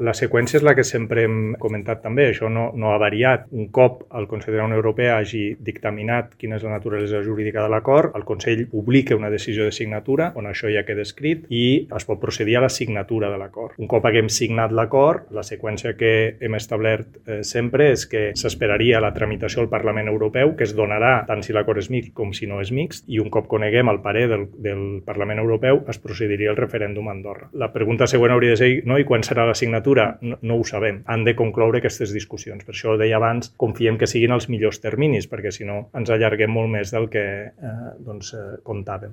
La seqüència és la que sempre hem comentat també, això no ha variat. Un cop el Consell de la Unió Europea hagi dictaminat quina és la naturalesa jurídica de l'acord, el Consell publica una decisió de signatura on això ja queda escrit i es pot procedir a la signatura de l'acord. Un cop haguem signat l'acord, la seqüència que hem establert sempre és que s'esperaria la tramitació al Parlament Europeu, que es donarà tant si l'acord és mixt com si no és mixt, i un cop coneguem el parer del Parlament Europeu es procediria al referèndum a Andorra. La pregunta següent hauria de ser, i quan serà la signatura? No ho sabem. Han de concloure aquestes discussions. Per això deia abans, confiem que siguin els millors terminis, perquè si no ens allarguem molt més del que comptàvem.